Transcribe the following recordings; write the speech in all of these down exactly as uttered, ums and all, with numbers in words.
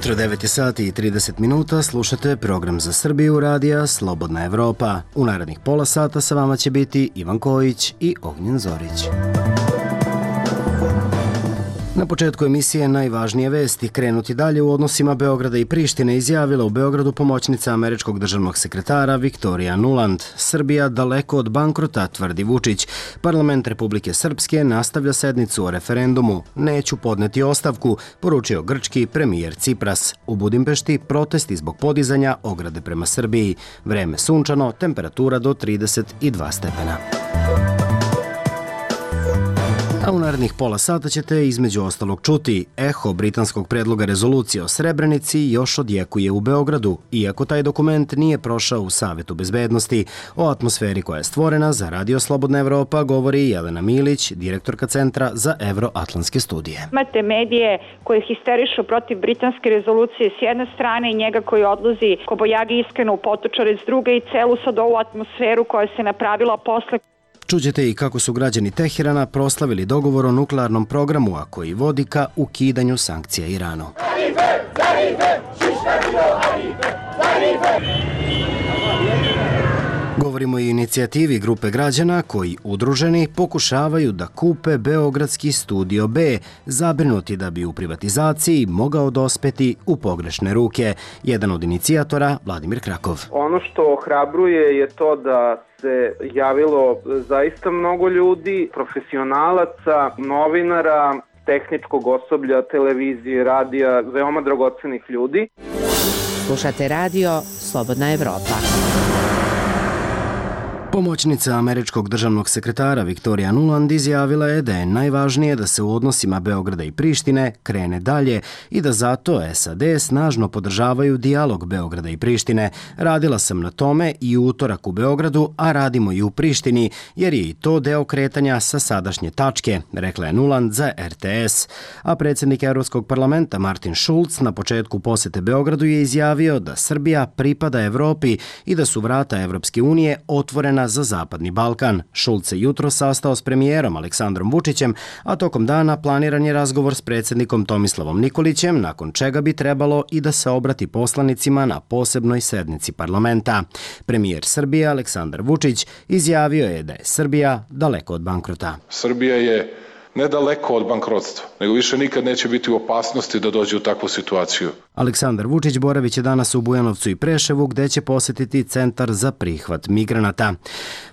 ujutro, devet je sati i trideset minuta, slušate program za Srbiju radija Slobodna Evropa. U narednih pola sata sa vama će biti Ivan Kojić i Ognjen Zorić. Na početku emisije najvažnije vesti. Krenuti dalje u odnosima Beograda i Prištine izjavila u Beogradu pomoćnica američkog državnog sekretara Viktorija Nuland. Srbija daleko od bankrota, tvrdi Vučić. Parlament Republike Srpske nastavlja sednicu o referendumu. Neću podneti ostavku, poručio grčki premijer Cipras. U Budimpešti protesti zbog podizanja ograde prema Srbiji. Vreme sunčano, temperatura do trideset dva stepena. A u narednih pola sata ćete između ostalog čuti eho britanskog predloga rezolucije o Srebrenici još odjekuje u Beogradu, iako taj dokument nije prošao u Savetu bezbednosti. O atmosferi koja je stvorena za Radio Slobodna Evropa govori Jelena Milić, direktorka Centra za evroatlantske studije. Imate medije koje histerišu protiv britanske rezolucije s jedne strane i njega koji odlazi kobojagi iskreno u potočare s druge i celu sad ovu atmosferu koja se napravila posle. Čućete i kako su građani Teherana proslavili dogovor o nuklearnom programu, a koji vodi ka ukidanju sankcija Iranu. Govorimo i o inicijativi grupe građana koji udruženi pokušavaju da kupe Beogradski studio B, zabrinuti da bi u privatizaciji mogao dospeti u pogrešne ruke. Jedan od inicijatora, Vladimir Krakov. Ono što ohrabruje je to da se javilo zaista mnogo ljudi, profesionalaca, novinara, tehničkog osoblja, televizije, radija, veoma dragocenih ljudi. Slušate radio Slobodna Evropa. Pomoćnica američkog državnog sekretara Viktorija Nuland izjavila je da je najvažnije da se u odnosima Beograda i Prištine krene dalje i da zato S A D snažno podržavaju dijalog Beograda i Prištine. Radila sam na tome i u utorak u Beogradu, a radimo i u Prištini, jer je i to deo kretanja sa sadašnje tačke, rekla je Nuland za R T S. A predsjednik Evropskog parlamenta Martin Schulz na početku posete Beogradu je izjavio da Srbija pripada Evropi i da su vrata Evropske unije otvorena za Zapadni Balkan. Šulc se jutro sastao s premijerom Aleksandrom Vučićem, a tokom dana planiran je razgovor s predsjednikom Tomislavom Nikolićem, nakon čega bi trebalo i da se obrati poslanicima na posebnoj sednici parlamenta. Premijer Srbije Aleksandar Vučić izjavio je da je Srbija daleko od bankrota. Srbija je ne daleko od bankrotstva, nego više nikad neće biti u opasnosti da dođe u takvu situaciju. Aleksandar Vučić boravit će danas u Bujanovcu i Preševu, gde će posjetiti Centar za prihvat migranata.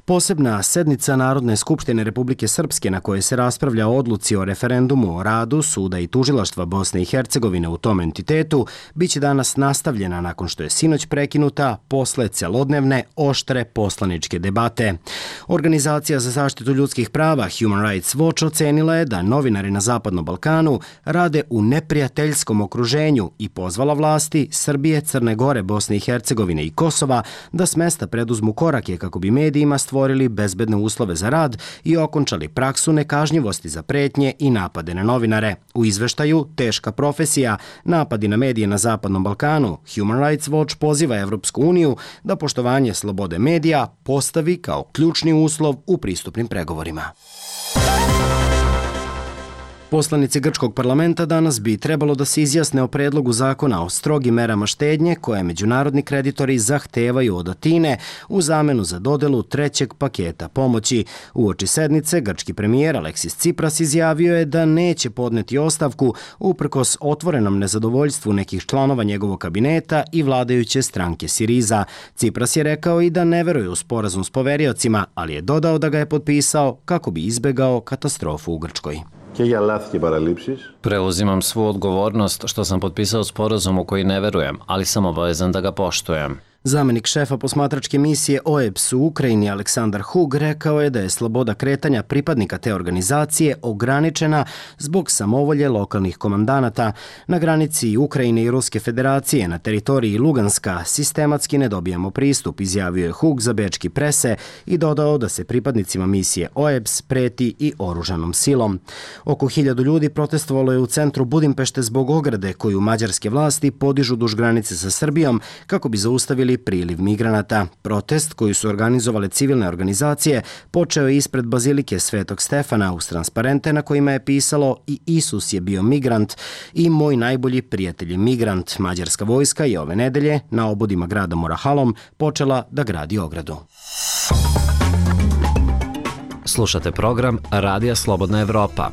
Posebna sednica Narodne skupštine Republike Srpske na kojoj se raspravlja o odluci o referendumu o radu suda i tužilaštva Bosne i Hercegovine u tom entitetu biće danas nastavljena nakon što je sinoć prekinuta posle celodnevne oštre poslaničke debate. Organizacija za zaštitu ljudskih prava Human Rights Watch ocenila je da novinari na Zapadnom Balkanu rade u neprijateljskom okruženju i pozvala vlasti Srbije, Crne Gore, Bosne i Hercegovine i Kosova da s mesta preduzmu korake kako bi medijima stvorili bezbedne uslove za rad i okončali praksu nekažnjivosti za pretnje i napade na novinare. U izveštaju Teška profesija, napadi na medije na Zapadnom Balkanu, Human Rights Watch poziva Evropsku uniju da poštovanje slobode medija postavi kao ključni uslov u pristupnim pregovorima. Poslanici grčkog parlamenta danas bi trebalo da se izjasne o predlogu zakona o strogim merama štednje koje međunarodni kreditori zahtevaju od Atine u zamenu za dodelu trećeg paketa pomoći. Uoči sednice, grčki premijer Aleksis Cipras izjavio je da neće podneti ostavku uprkos otvorenom nezadovoljstvu nekih članova njegovog kabineta i vladajuće stranke Siriza. Cipras je rekao i da ne veruje u sporazum s poveriocima, ali je dodao da ga je potpisao kako bi izbegao katastrofu u Grčkoj. Preuzimam svu odgovornost što sam potpisao sporazum u koji ne verujem, ali sam obavezan da ga poštujem. Zamenik šefa posmatračke misije O E B S u Ukrajini Aleksandar Hug rekao je da je sloboda kretanja pripadnika te organizacije ograničena zbog samovolje lokalnih komandanata. Na granici Ukrajine i Ruske federacije na teritoriji Luganska sistematski ne dobijamo pristup, izjavio je Hug za bečki prese i dodao da se pripadnicima misije O E B S preti i oružanom silom. Oko hiljadu ljudi protestovalo je u centru Budimpešte zbog ograde koju mađarske vlasti podižu duž granice sa Srbijom kako bi zaustavili zaustavili priliv migranata. Protest koji su organizovale civilne organizacije počeo je ispred Bazilike Svetog Stefana uz transparente na kojima je pisalo "I Isus je bio migrant" i "Moj najbolji prijatelj je migrant". Mađarska vojska je ove nedelje na obodima grada Morahalom počela da gradi ogradu. Slušate program Radija Slobodna Evropa.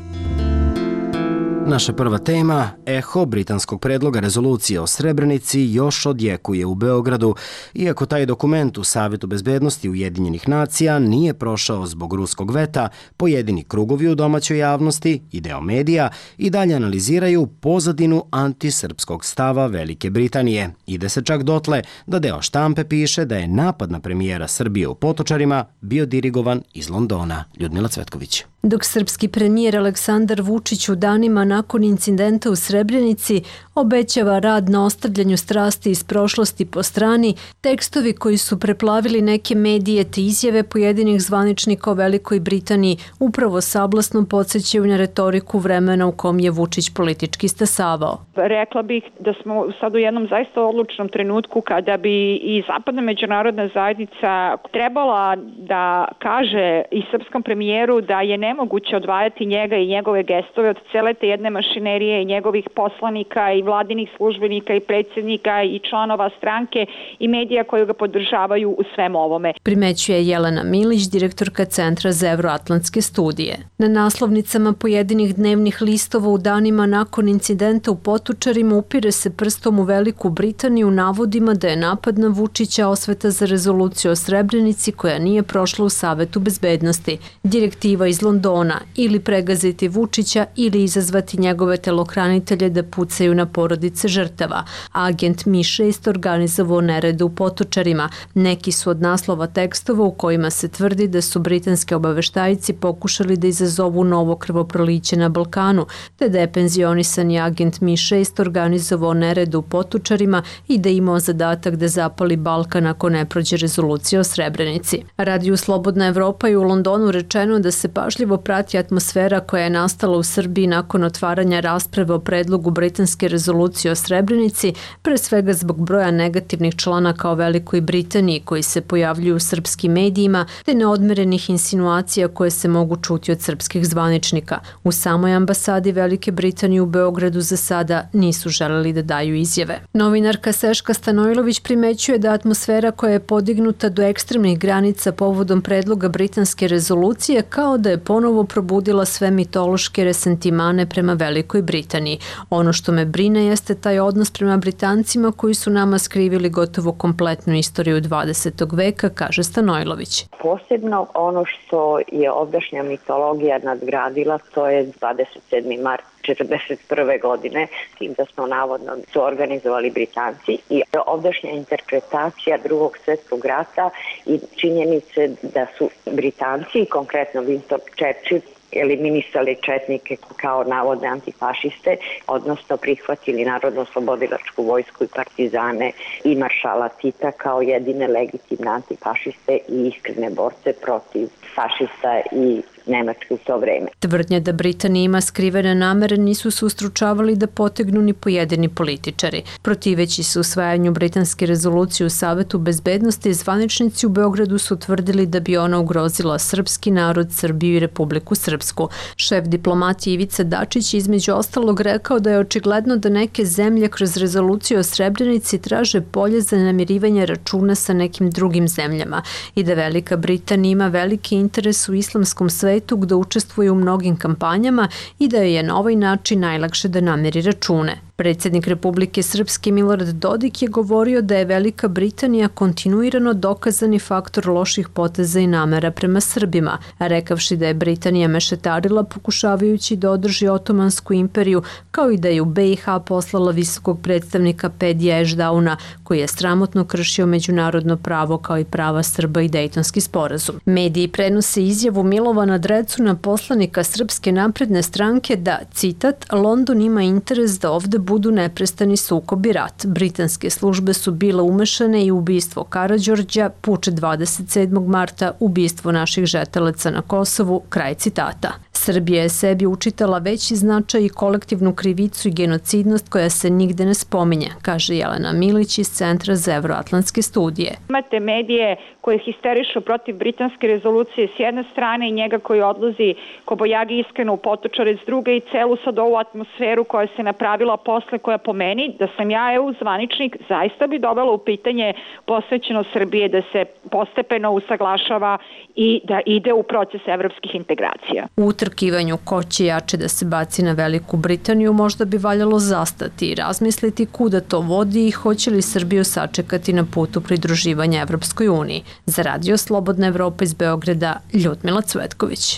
Naša prva tema, eho britanskog predloga rezolucije o Srebrenici još odjekuje u Beogradu, iako taj dokument u Savetu bezbednosti Ujedinjenih nacija nije prošao zbog ruskog veta, pojedini krugovi u domaćoj javnosti i deo medija i dalje analiziraju pozadinu antisrpskog stava Velike Britanije. Ide se čak dotle da deo štampe piše da je napad na premijera Srbije u Potočarima bio dirigovan iz Londona. Ljudmila Cvetković. Dok srpski premijer Aleksandar Vučić u danima nakon incidenta u Srebrenici obećava rad na ostavljanju strasti iz prošlosti po strani, tekstovi koji su preplavili neke medije te izjave pojedinih zvaničnika o Velikoj Britaniji upravo sablasno podsjećaju na retoriku vremena u kom je Vučić politički stasavao. Rekla bih da smo sad u jednom zaista odlučnom trenutku kada bi i zapadna međunarodna zajednica trebala da kaže i srpskom premijeru da je nemoguće odvajati njega i njegove gestove od cele te jedne mašinerije i njegovih poslanika i vladinih službenika i predsjednika i članova stranke i medija koji ga podržavaju u svem ovome. Primećuje Jelena Milić, direktorka Centra za evroatlantske studije. Na naslovnicama pojedinih dnevnih listova u danima nakon incidenta u Potočarima upire se prstom u Veliku Britaniju navodima da je napad na Vučića osveta za rezoluciju o Srebrenici koja nije prošla u Savetu bezbednosti. Direktiva iz Londona ili pregaziti Vučića ili izazvati njegove telohranitelje da pucaju na porodice žrtava. Agent Mi šest organizovao nerede u Potočarima. Neki su od naslova tekstova u kojima se tvrdi da su britanski obaveštajci pokušali da izazovu novo krvoproliće na Balkanu, te da je penzionisani agent Mi šest organizovao nerede u Potočarima i da je imao zadatak da zapali Balkan ako ne prođe rezolucija o Srebrenici. Radiju Slobodna Evropa i u Londonu rečeno da se pažljivo prati atmosfera koja je nastala u Srbiji nakon otvaranja rasprave o predlogu britanske rezolucije o Srebrenici, pre svega zbog broja negativnih članaka o Velikoj Britaniji koji se pojavljuju u srpskim medijima, te neodmerenih insinuacija koje se mogu čuti od srpskih zvaničnika. U samoj ambasadi Velike Britanije u Beogradu za sada nisu želeli da daju izjave. Novinarka Seška Stanojlović primećuje da atmosfera koja je podignuta do ekstremnih granica povodom predloga britanske rezolucije kao da je ponovo probudila sve mitološke resentimane prema Velikoj Britaniji. Ono što me brine jeste taj odnos prema Britancima koji su nama skrivili gotovo kompletnu istoriju dvadesetog veka, kaže Stanojlović. Posebno ono što je ovdašnja mitologija nadgradila, to je dvadeset sedmi mart četrdeset prve godine, tim da smo navodno to organizovali Britanci, i ovdašnja interpretacija drugog svjetskog rata i činjenice da su Britanci, konkretno Winston Churchill, eliminisali četnike kao navodne antifašiste, odnosno prihvatili Narodno-oslobodilačku vojsku i partizane i maršala Tita kao jedine legitimne antifašiste i iskrene borce protiv fašista i Nemačke u to vreme. Tvrdnje da Britanija ima skrivene namere nisu se ustručavali da potegnu ni pojedini političari. Protiveći se usvajanju britanske rezolucije u Savetu bezbednosti, zvaničnici u Beogradu su tvrdili da bi ona ugrozila srpski narod, Srbiju i Republiku Srpsku. Šef diplomatije Ivica Dačić između ostalog rekao da je očigledno da neke zemlje kroz rezoluciju o Srebrenici traže polje za namirivanje računa sa nekim drugim zemljama i da Velika Britanija ima veliki interes u islamskom svetu gde učestvuje u mnogim kampanjama i da je na ovaj način najlakše da namiri račune. Predsjednik Republike Srpske Milorad Dodik je govorio da je Velika Britanija kontinuirano dokazani faktor loših poteza i namera prema Srbima, rekavši da je Britanija mešetarila pokušavajući da održi Otomansku imperiju, kao i da je u B i H poslala visokog predstavnika Pedija Ešdauna, koji je sramotno kršio međunarodno pravo kao i prava Srba i Dejtonski sporazum. Mediji prenose izjavu Milovana Drecuna, poslanika Srpske napredne stranke, da, citat, London ima interes da ovde budu neprestani sukob i rat. Britanske službe su bile umešane i ubistvo Karađorđa, puč dvadeset sedmog marta, ubistvo naših žetelaca na Kosovu, kraj citata. Srbija je sebi učitala veći značaj i kolektivnu krivicu i genocidnost koja se nigde ne spominje, kaže Jelena Milić iz Centra za evroatlantske studije. Imate medije koje histerišu protiv britanske rezolucije s jedne strane i njega koji odlazi kobojagi iskreno u Potočare s druge i celu sad ovu atmosferu koja se napravila posle, koja po meni, da sam ja E U zvaničnik, zaista bi dovela u pitanje posvećeno Srbije da se postepeno usaglašava i da ide u proces evropskih integracija. U utrkivanju ko će jače da se baci na Veliku Britaniju možda bi valjalo zastati i razmisliti kuda to vodi i hoće li Srbiju sačekati na putu pridruživanja Evropskoj uniji. Za Radio Slobodna Evropa iz Beograda, Ljudmila Cvetković.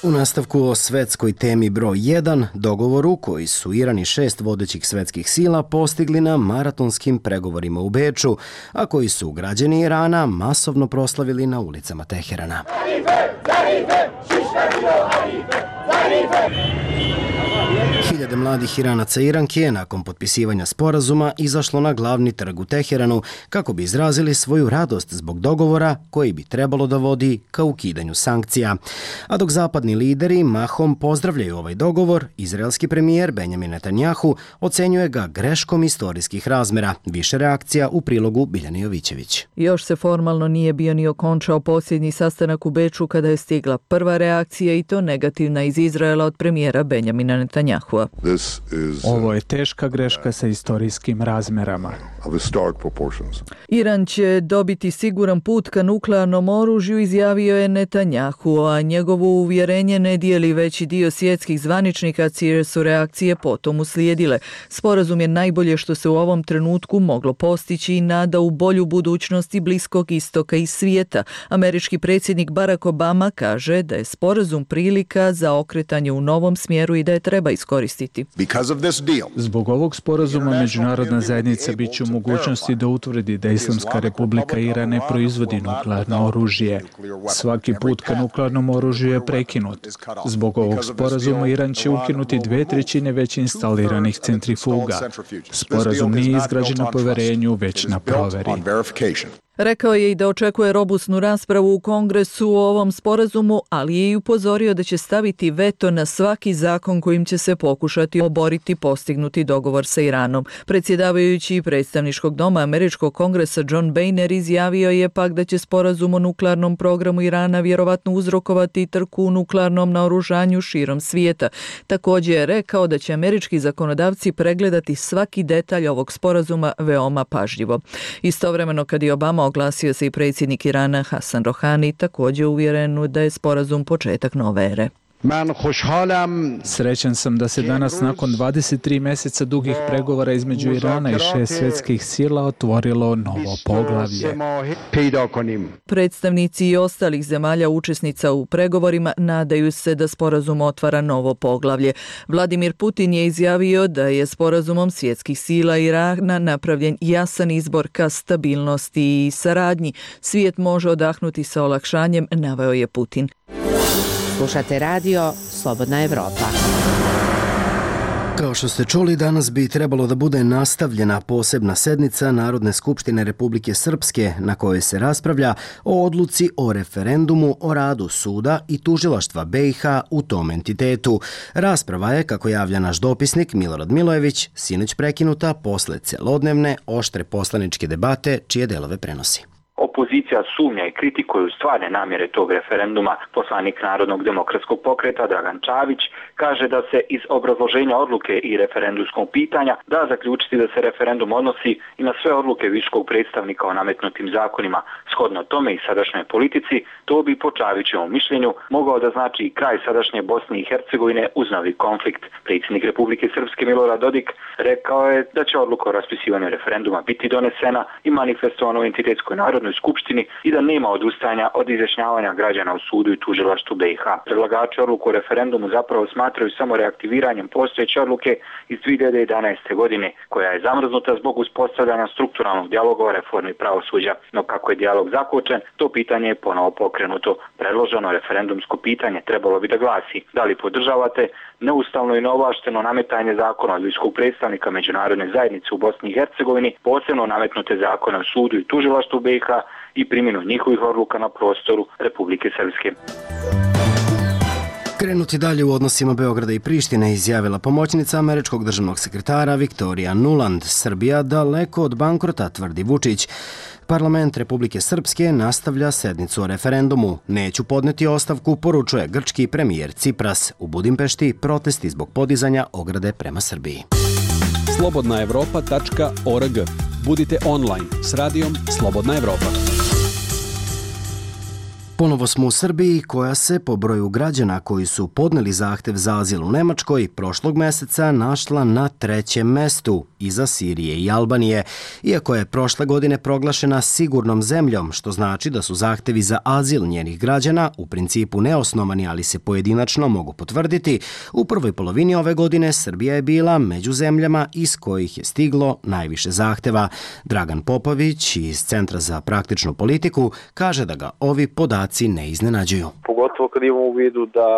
U nastavku o svetskoj temi broj jedan, dogovoru koji su Iran i šest vodećih svetskih sila postigli na maratonskim pregovorima u Beču, a koji su građani Irana masovno proslavili na ulicama Teherana. Hiljade mladih Iranaca i Iranke je nakon potpisivanja sporazuma izašlo na glavni trg u Teheranu kako bi izrazili svoju radost zbog dogovora koji bi trebalo da vodi ka ukidanju sankcija. A dok zapadni lideri mahom pozdravljaju ovaj dogovor, izraelski premijer Benjamin Netanjahu ocenjuje ga greškom istorijskih razmera. Više reakcija u prilogu Biljane Jovićević. Još se formalno nije bio ni okončao posljednji sastanak u Beču kada je stigla prva reakcija i to negativna iz Izraela od premijera Benjamina Netanjahua. Ovo je teška greška sa istorijskim razmerama. Iran će dobiti siguran put ka nuklearnom oružju, izjavio je Netanjahu, a njegovo uvjerenje ne dijeli veći dio svjetskih zvaničnika, čije su reakcije potom uslijedile. Sporazum je najbolje što se u ovom trenutku moglo postići i nada u bolju budućnosti Bliskog istoka i svijeta. Američki predsjednik Barack Obama kaže da je sporazum prilika za okretanje u novom smjeru i da je treba iskoristiti. Zbog ovog sporazuma međunarodna zajednica bit će u mogućnosti da utvrdi da Islamska republika Iran ne proizvodi nuklearno oružje. Svaki put ka nuklearnom oružju je prekinut. Zbog ovog sporazuma Iran će ukinuti dve trećine već instaliranih centrifuga. Sporazum nije izgrađen na poverenju, već na proveri. Rekao je i da očekuje robusnu raspravu u Kongresu o ovom sporazumu, ali je i upozorio da će staviti veto na svaki zakon kojim će se pokušati oboriti postignuti dogovor sa Iranom. Predsjedavajući predstavničkog doma Američkog kongresa John Boehner izjavio je pak da će sporazum o nuklearnom programu Irana vjerovatno uzrokovati trku u nuklearnom naoružanju širom svijeta. Također je rekao da će američki zakonodavci pregledati svaki detalj ovog sporazuma veoma pažljivo. Istovremeno, kad je Obama oglasio se i predsjednik Irana Hasan Rohani, također uvjeren da je sporazum početak nove ere. Srećan sam da se danas nakon dvadeset tri mjeseca dugih pregovora između Irana i šest svjetskih sila otvorilo novo poglavlje. Predstavnici i ostalih zemalja učesnica u pregovorima nadaju se da sporazum otvara novo poglavlje. Vladimir Putin je izjavio da je sporazumom svjetskih sila Irana napravljen jasan izbor ka stabilnosti i saradnji. Svijet može odahnuti sa olakšanjem, naveo je Putin. Slušate radio Slobodna Evropa. Kao što ste čuli, danas bi trebalo da bude nastavljena posebna sednica Narodne skupštine Republike Srpske na kojoj se raspravlja o odluci o referendumu o radu suda i tužilaštva B i H u tom entitetu. Rasprava je, kako javlja naš dopisnik Milorad Milojević, sinoć prekinuta posle celodnevne oštre poslaničke debate čije delove prenosi. Opozicija sumnja i kritikuje stvarne namjere tog referenduma. Poslanik Narodnog demokratskog pokreta Dragan Čavić kaže da se iz obrazloženja odluke i referendumskog pitanja da zaključiti da se referendum odnosi i na sve odluke viškog predstavnika o nametnutim zakonima. Shodno tome i sadašnjoj politici, to bi po Čavićevom mišljenju mogao da znači kraj sadašnje Bosne i Hercegovine uz novi konflikt. Predsjednik Republike Srpske Milorad Dodik rekao je da će odluka o raspisivanju referenduma biti donesena i manifestovana u entitetskoj narodnoj skupštini i da nema odustajanja od izjašnjavanja građana u sudu i tužilaštvu B i H. Predlagači odluku o referendumu zapravo smatraju samo reaktiviranjem postojeće odluke iz dvije hiljade jedanaeste. godine, koja je zamrznuta zbog uspostavljanja strukturalnog dijaloga o reformi pravosuđa. No kako je dijalog zakočen, to pitanje je ponovo pokrenuto. Predloženo referendumsko pitanje trebalo bi da glasi: da li podržavate neustavno i neovlašteno nametanje zakona od visokog predstavnika međunarodne zajednice u Bosni i Hercegovini, posebno nametnute zakone o sudu i tužilaštvu B i H i primjenu njihovih odluka na prostoru Republike Srpske. Krenuti dalje u odnosima Beograda i Prištine, izjavila pomoćnica američkog državnog sekretara Viktorija Nuland. Srbija daleko od bankrota, tvrdi Vučić. Parlament Republike Srpske nastavlja sednicu o referendumu. Neću podneti ostavku, poručuje grčki premijer Cipras. U Budimpešti protesti zbog podizanja ograde prema Srbiji. slobodna evropa tačka org. Budite online s radijom Slobodna Evropa. Ponovo smo u Srbiji, koja se po broju građana koji su podneli zahtev za azil u Nemačkoj prošlog meseca našla na trećem mestu, iza Sirije i Albanije, iako je prošle godine proglašena sigurnom zemljom, što znači da su zahtevi za azil njenih građana u principu neosnovani, ali se pojedinačno mogu potvrditi. U prvoj polovini ove godine Srbija je bila među zemljama iz kojih je stiglo najviše zahteva. Dragan Popović iz Centra za praktičnu politiku kaže da ga ovi podaci ne iznenađuju. Pogotovo kad imamo u vidu da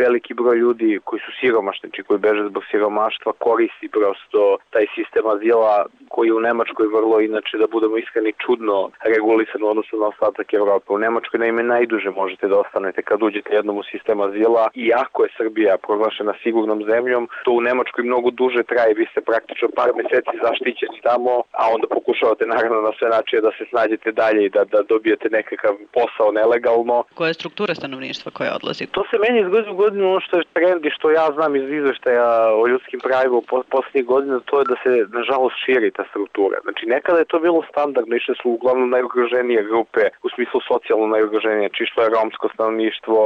veliki broj ljudi koji su siromašni, či koji beže zbog siromaštva, koristi prosto taj sistem azila koji je u Nemačkoj vrlo, inače da budemo iskreni, čudno regulisan u odnosu na ostatak Evrope. U Nemačkoj naime najduže možete da ostanete kad uđete jednom u sistem azila, iako je Srbija proglašena sigurnom zemljom, to u Nemačkoj mnogo duže traje, vi ste praktično par meseci zaštićeni tamo, a onda pokušavate naravno na sve načine da se snađete dalje i da, da dobijete nekakav posao nelegalno. Koja je struktura stanovništva koja odlazi? To se meni iz godine u godinu, ono što je trend i što ja znam iz izveštaja o ljudskim pravima u posljednjih godina, to je da se nažalost širi ta struktura. Znači nekada je to bilo standardno, išle su uglavnom najugroženije grupe, u smislu socijalno najugroženije, či što je romsko stanovništvo,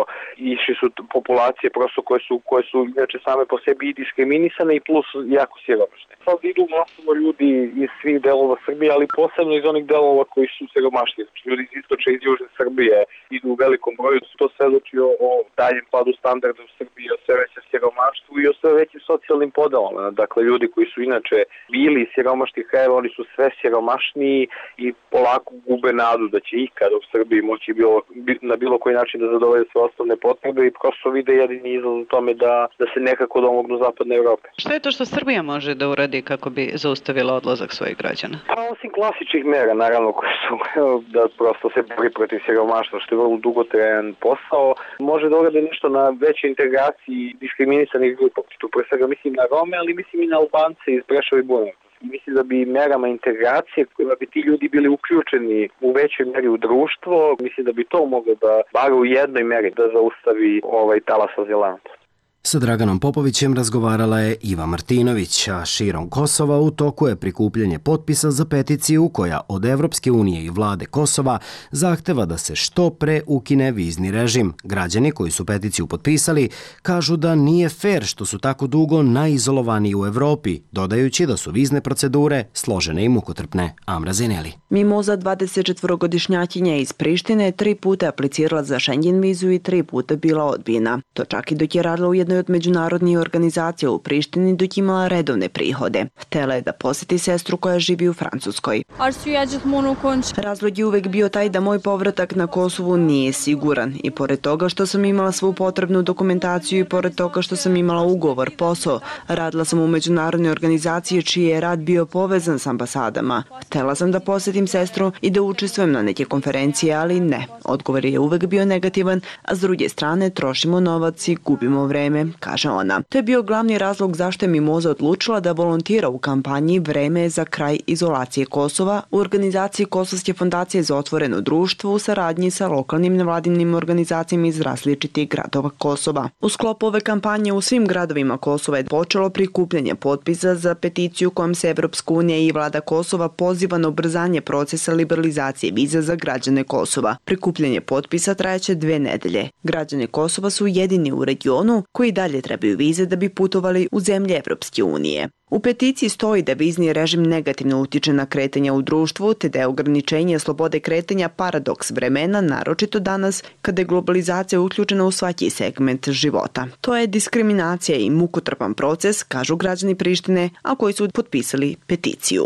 išli su populacije prosto koje su, koje su inače same po sebi i diskriminisane i plus jako siromašne. Sad idu masovno ljudi iz svih delova Srbije, ali posebno iz onih delova koji su siromašni. Znači ljudi iz istočne i iz južne Srbije idu u velikom broju, to svedoči o, o daljem padu standarda u Srbiji, o sve većem siromaštvu i o sve većim socijalnim podelama. Dakle, ljudi koji su inače bili iz siromašnih krajeva, oni su sve siromašniji i polako gube nadu da će ikada u Srbiji moći bilo, na bilo koji način da zadovolje sve osnovne potrebe i prosto vide jedini izlaz u tome da, da se nekako domognu zapadne Evrope. Šta je to što Srbija može da uradi kako bi zaustavila odlazak svojih građana? Pa osim klasičnih mera, naravno, koje su da prosto se bori protiv siromaštva, što je vrlo dugotrajan posao, može da uradi nešto na većoj integraciji diskriminisanih grupa. Tu pre svega mislim na Rome, ali mislim i na Albance iz Preševa i Bujanovca. Mislim da bi merama integracije kojima bi ti ljudi bili uključeni u većoj meri u društvo, mislim da bi to moglo da bar u jednoj meri da zaustavi ovaj talas azilanta. Sa Draganom Popovićem razgovarala je Iva Martinović, a širom Kosova u toku je prikupljanje potpisa za peticiju koja od Evropske unije i vlade Kosova zahteva da se što pre ukine vizni režim. Građani koji su peticiju potpisali kažu da nije fer što su tako dugo najizolovaniji u Evropi, dodajući da su vizne procedure složene i mukotrpne. Amra Zeneli. Mimoza dvadesetčetvorogodišnjakinja iz Prištine tri puta aplicirala za Schengen vizu i tri puta bila odbijena. To čak i dok je radila u jednoj od međunarodnih organizacija u Prištini dok imala redovne prihode. Htela je da poseti sestru koja živi u Francuskoj. Razlog je uvek bio taj da moj povratak na Kosovu nije siguran i pored toga što sam imala svu potrebnu dokumentaciju i pored toga što sam imala ugovor, posao, radila sam u međunarodnoj organizaciji čiji je rad bio povezan s ambasadama. Htela sam da posetim sestru i da učestvujem na neke konferencije, ali ne. Odgovor je uvek bio negativan, a s druge strane trošimo novac i gubimo vreme, kaže ona. To je bio glavni razlog zašto je Mimoza odlučila da volontira u kampanji Vreme za kraj izolacije Kosova u organizaciji Kosovske fondacije za otvoreno društvo u saradnji sa lokalnim nevladinim organizacijama iz različitih gradova Kosova. U sklopu ove kampanje u svim gradovima Kosova je počelo prikupljanje potpisa za peticiju kojom se Evropska unija i vlada Kosova poziva na ubrzanje procesa liberalizacije viza za građane Kosova. Prikupljanje potpisa trajaće dve nedelje. Građani Kosova su jedini u regionu koji dalje trebaju vize da bi putovali u zemlje Evropske unije. U peticiji stoji da vizni režim negativno utiče na kretanja u društvu, te da je ograničenje slobode kretanja paradoks vremena, naročito danas kada je globalizacija uključena u svaki segment života. To je diskriminacija i mukotrpan proces, kažu građani Prištine, a koji su potpisali peticiju.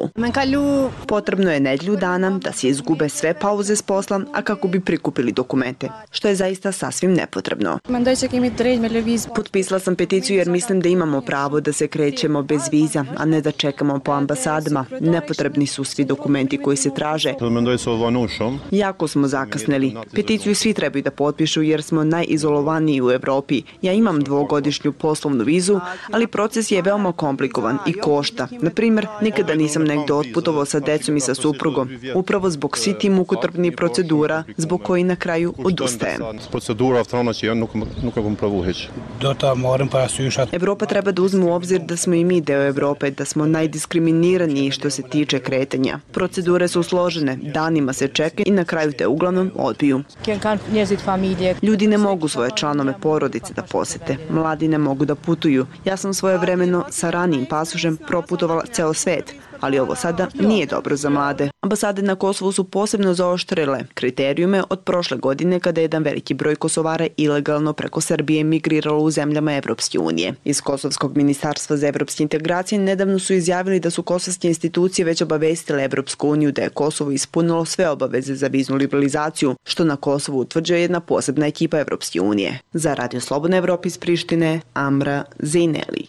Potrebno je nedlju dana da se izgube sve pauze s posla, a kako bi prikupili dokumente, što je zaista sasvim nepotrebno. Potpisala sam peticiju jer mislim da imamo pravo da se krećemo bez vize viza, a ne da čekamo po ambasadama. Nepotrebni su svi dokumenti koji se traže. Jako smo zakasnili. Peticiju svi trebaju da potpišu jer smo najizolovaniji u Evropi. Ja imam dvogodišnju poslovnu vizu, ali proces je veoma komplikovan i košta. Na primjer, nikada nisam negde otputovao sa decom i sa suprugom. Upravo zbog svi ti mukotrpnih procedura, zbog koji na kraju odustajem. Evropa treba da uzme u obzir da smo i mi deo Evrope, da smo najdiskriminiraniji što se tiče kretanja. Procedure su složene, danima se čeka i na kraju te uglavnom odbiju. Ljudi ne mogu svoje članove porodice da posete, mladi ne mogu da putuju. Ja sam svojevremeno sa ranijim pasošem proputovala ceo svet, ali ovo sada nije dobro za mlade. Ambasade na Kosovu su posebno zaoštrile kriterijume od prošle godine kada je jedan veliki broj Kosovara ilegalno preko Srbije migriralo u zemljama Evropske unije. Iz Kosovskog ministarstva za evropske integracije nedavno su izjavili da su kosovske institucije već obavestile Evropsku uniju da je Kosovo ispunilo sve obaveze za viznu liberalizaciju, što na Kosovu utvrđuje jedna posebna ekipa Evropske unije. Za Radio Slobodna Evropa iz Prištine, Amra Zejneli.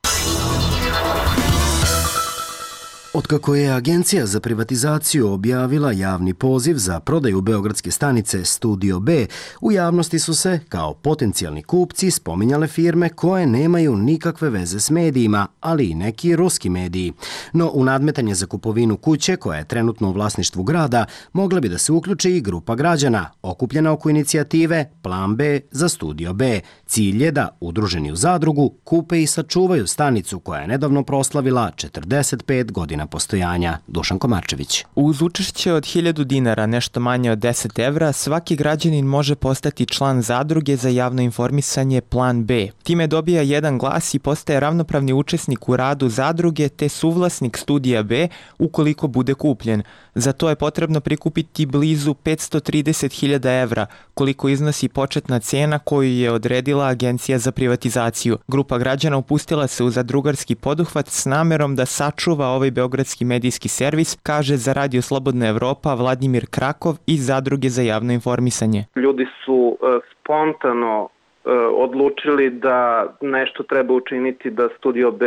Otkako je Agencija za privatizaciju objavila javni poziv za prodaju beogradske stanice Studio B, u javnosti su se, kao potencijalni kupci, spominjale firme koje nemaju nikakve veze s medijima, ali i neki ruski mediji. No, u nadmetanje za kupovinu kuće, koja je trenutno u vlasništvu grada, mogla bi da se uključi i grupa građana, okupljena oko inicijative Plan B za Studio B. Cilj je da, udruženi u zadrugu, kupe i sačuvaju stanicu koja je nedavno proslavila četrdeset pet godina postojanja. Dušan Komarčević. Uz učešće od hiljadu dinara, nešto manje od deset evra, svaki građanin može postati član zadruge za javno informisanje Plan B. Time dobija jedan glas i postaje ravnopravni učesnik u radu zadruge te suvlasnik Studija B ukoliko bude kupljen. Za to je potrebno prikupiti blizu petsto trideset hiljada evra, koliko iznosi početna cena koju je odredila Agencija za privatizaciju. Grupa građana upustila se u zadrugarski poduhvat s namerom da sačuva ovaj beogradski medijski servis, kaže za Radio Slobodna Evropa Vladimir Krakov iz Zadruge za javno informisanje. Ljudi su e, spontano e, odlučili da nešto treba učiniti da Studio B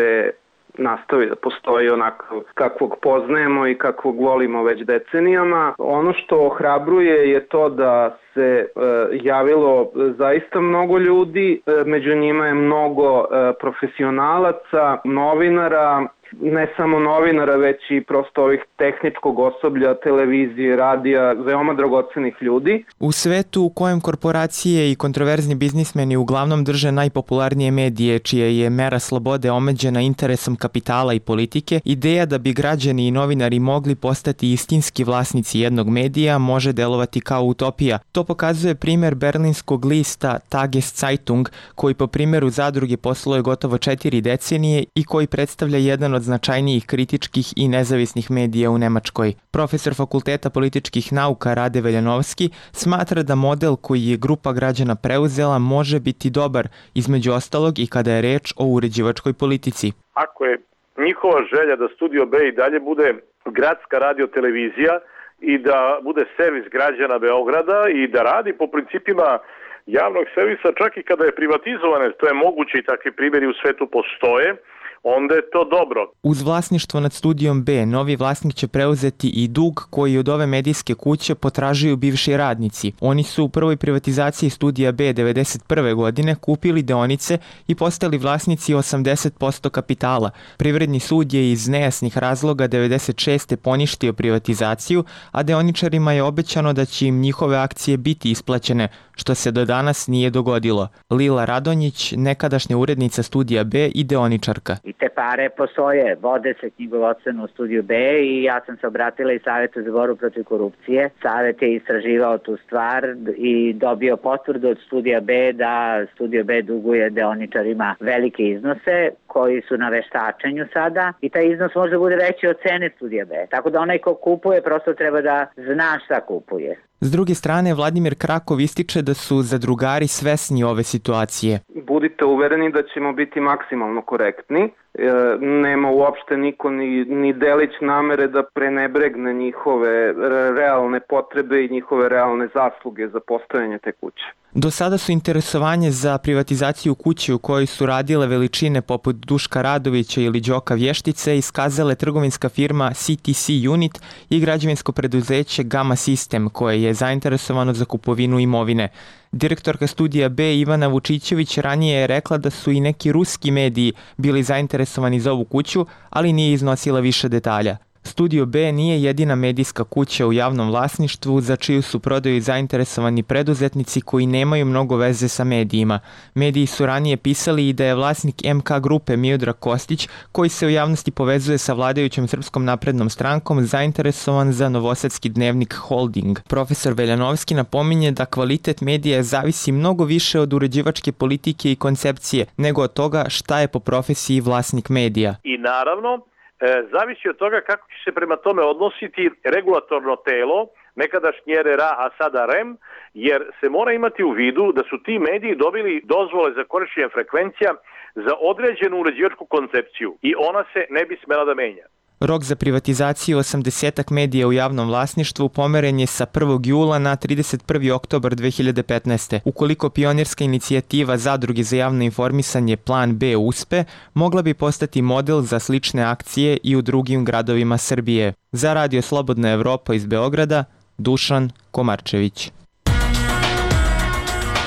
nastavi da postoji onako kakvog poznajemo i kakvog volimo već decenijama. Ono što ohrabruje je to da se e, javilo zaista mnogo ljudi, e, među njima je mnogo e, profesionalaca, novinara, ne samo novinara, već i prosto ovih tehničkog osoblja, televizije, radija, veoma dragocenih ljudi. U svetu u kojem korporacije i kontroverzni biznismeni uglavnom drže najpopularnije medije, čija je mera slobode omeđena interesom kapitala i politike, ideja da bi građani i novinari mogli postati istinski vlasnici jednog medija može delovati kao utopija. To pokazuje primer berlinskog lista Tageszeitung, koji po primjeru zadruge posluje gotovo četiri decenije i koji predstavlja jedan od značajnijih kritičkih i nezavisnih medija u Nemačkoj. Profesor Fakulteta političkih nauka Rade Veljanovski smatra da model koji je grupa građana preuzela može biti dobar, između ostalog i kada je reč o uređivačkoj politici. Ako je njihova želja da Studio B i dalje bude gradska radiotelevizija i da bude servis građana Beograda i da radi po principima javnog servisa čak i kada je privatizovane, to je moguće i takvi primjeri u svetu postoje, onda je to dobro. Uz vlasništvo nad Studijom B, novi vlasnik će preuzeti i dug koji od ove medijske kuće potražuju bivši radnici. Oni su u prvoj privatizaciji Studija B devedeset prve godine kupili deonice i postali vlasnici osamdeset posto kapitala. Privredni sud je iz nejasnih razloga devedeset šeste poništio privatizaciju, a deoničarima je obećano da će im njihove akcije biti isplaćene, što se do danas nije dogodilo. Lila Radonjić, nekadašnja urednica Studija B i deoničarka. I te pare postoje, vode se knjigovodstveno u Studiju B i ja sam se obratila i Savetu za borbu protiv korupcije. Savet je istraživao tu stvar i dobio potvrdu od Studija B da Studio B duguje deoničarima velike iznose koji su na veštačenju sada i taj iznos može bude veći od cene Studija B. Tako da onaj ko kupuje prosto treba da zna šta kupuje. S druge strane, Vladimir Krakov ističe da su zadrugari svesni ove situacije. Budite uvereni da ćemo biti maksimalno korektni. nema uopšte niko ni, ni delić namere da prenebregne njihove realne potrebe i njihove realne zasluge za postojanje te kuće. Do sada su interesovanje za privatizaciju kuće u kojoj su radile veličine poput Duška Radovića ili Đoka Vještice iskazale trgovinska firma C T C Unit i građevinsko preduzeće Gama System koje je zainteresovano za kupovinu imovine. Direktorka studija B Ivana Vučićević ranije je rekla da su i neki ruski mediji bili zainteresovani za ovu kuću, ali nije iznosila više detalja. Studio B nije jedina medijska kuća u javnom vlasništvu za čiju su prodaju zainteresovani preduzetnici koji nemaju mnogo veze sa medijima. Mediji su ranije pisali i da je vlasnik M K grupe Miodrag Kostić, koji se u javnosti povezuje sa vladajućom Srpskom naprednom strankom, zainteresovan za novosadski dnevnik Holding. Profesor Veljanovski napominje da kvalitet medija zavisi mnogo više od uređivačke politike i koncepcije nego od toga šta je po profesiji vlasnik medija. I naravno, zavisi od toga kako će se prema tome odnositi regulatorno telo, nekadašnji R R A, a sada R E M, jer se mora imati u vidu da su ti mediji dobili dozvole za korišćenje frekvencija za određenu uređivačku koncepciju i ona se ne bi smela da menja. Rok za privatizaciju osamdesetak medija u javnom vlasništvu pomeren je sa prvog jula na trideset prvi oktobar dve hiljade petnaeste. Ukoliko pionirska inicijativa Zadruge za javno informisanje Plan B uspe, mogla bi postati model za slične akcije i u drugim gradovima Srbije. Za Radio Slobodna Evropa iz Beograda, Dušan Komarčević.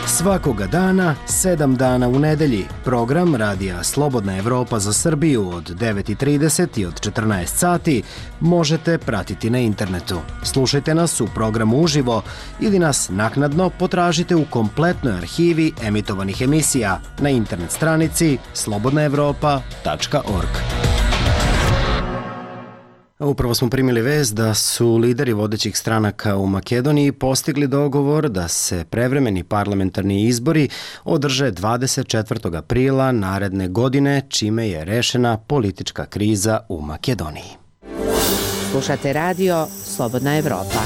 Svakoga dana, sedam dana u nedelji, program Radija Slobodna Evropa za Srbiju od devet i trideset i od četrnaest sati možete pratiti na internetu. Slušajte nas u programu uživo ili nas naknadno potražite u kompletnoj arhivi emitovanih emisija na internet stranici slobodna evropa tačka org. Upravo smo primili vest da su lideri vodećih stranaka u Makedoniji postigli dogovor da se prevremeni parlamentarni izbori održe dvadeset četvrtog aprila naredne godine, čime je rešena politička kriza u Makedoniji. Slušate radio Slobodna Evropa.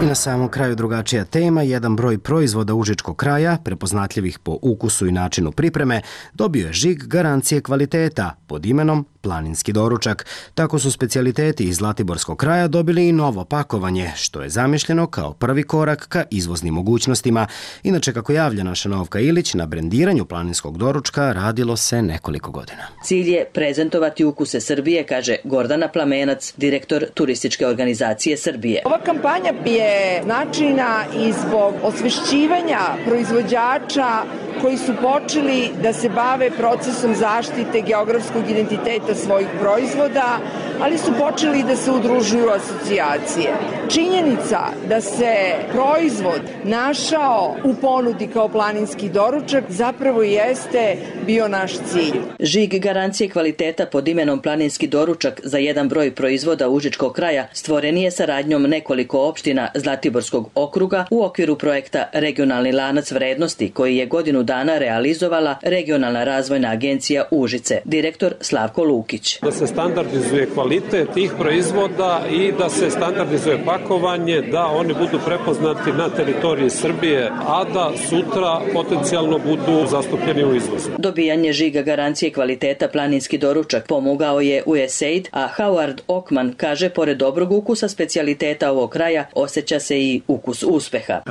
I na samom kraju drugačija tema, jedan broj proizvoda užičkog kraja, prepoznatljivih po ukusu i načinu pripreme, dobio je žig garancije kvaliteta pod imenom Planinski doručak. Tako su specijaliteti iz Zlatiborskog kraja dobili i novo pakovanje, što je zamišljeno kao prvi korak ka izvoznim mogućnostima. Inače, kako javlja naša Novka Ilić, na brendiranju planinskog doručka radilo se nekoliko godina. Cilj je prezentovati ukuse Srbije, kaže Gordana Plamenac, direktor turističke organizacije Srbije. Ova kampanja je značajna i zbog osvešćivanja proizvođača koji su počeli da se bave procesom zaštite geografskog identiteta svojih proizvoda, ali su počeli da se udružuju asocijacije. Činjenica da se proizvod našao u ponudi kao planinski doručak zapravo jeste bio naš cilj. Žig garancije kvaliteta pod imenom Planinski doručak za jedan broj proizvoda užičkog kraja stvoren je saradnjom nekoliko opština Zlatiborskog okruga u okviru projekta Regionalni lanac vrednosti koji je godinu dana realizovala Regionalna razvojna agencija Užice, direktor Slavko Lukić. Da se standardizuje kvalitet tih proizvoda i da se standardizuje pakovanje, da oni budu prepoznati na teritoriji Srbije, a da sutra potencijalno budu zastupljeni u izvozu. Dobijanje žiga garancije kvaliteta Planinski doručak pomogao je U S A I D, a Howard Ockman kaže pored dobrog ukusa specijaliteta ovog kraja osjeća se i ukus uspeha.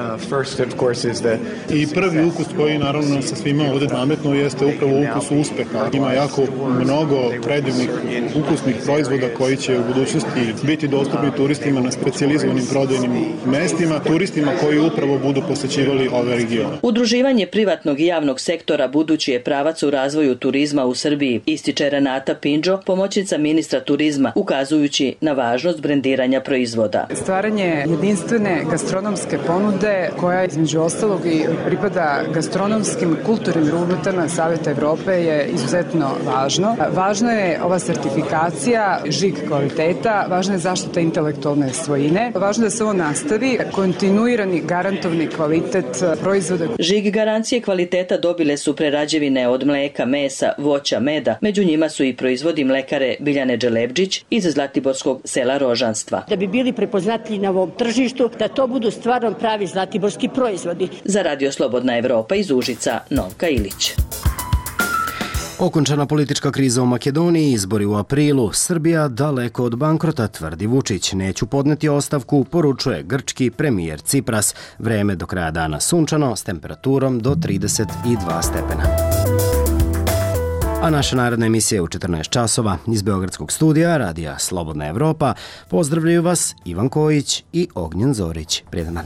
I prvi ukus koji naravno sa svima ovdje nametno jeste upravo ukus uspeha. Ima jako mnogo predivnih ukusnih proizvoda koji će u budućnosti biti dostupni turistima na specijalizovanim prodajnim mestima, turistima koji upravo budu posećivali ove regione. Udruživanje privatnog i javnog sektora budući je pravac u razvoju turizma u Srbiji, ističe Renata Pinđo, pomoćnica ministra turizma, ukazujući na važnost brendiranja proizvoda. Stvaranje jedinstvene gastronomske ponude koja između ostalog i pripada gastronomskim kulturnim rubritama Saveta Evrope je izuzetno važno. Važno je ova sertifikacija, žig kvaliteta, važna je zaštita intelektualne svojine, važno je da se ovo nastavi, kontinuirani garantovni kvalitet proizvoda. Žig garancije kvaliteta dobile su prerađevine od mleka, mesa, voća, meda, među njima su i proizvodi mlekare Biljane Dželebđić iz Zlatiborskog sela Rožanstva. Da bi bili prepoznatljivi na ovom tržištu, da to budu stvarno pravi zlatiborski proizvodi. Za Radio Slobodna Evropa iz Užica, Novka Ilić. Okončana politička kriza u Makedoniji, izbori u aprilu, Srbija daleko od bankrota, tvrdi Vučić. Neću podneti ostavku, poručuje grčki premijer Cipras. Vreme do kraja dana sunčano s temperaturom do trideset dva stepena. A naša naredna emisija je u četrnaest časova. Iz Beogradskog studija Radija Slobodna Evropa pozdravljaju vas Ivan Kojić i Ognjen Zorić. Prijetan dan.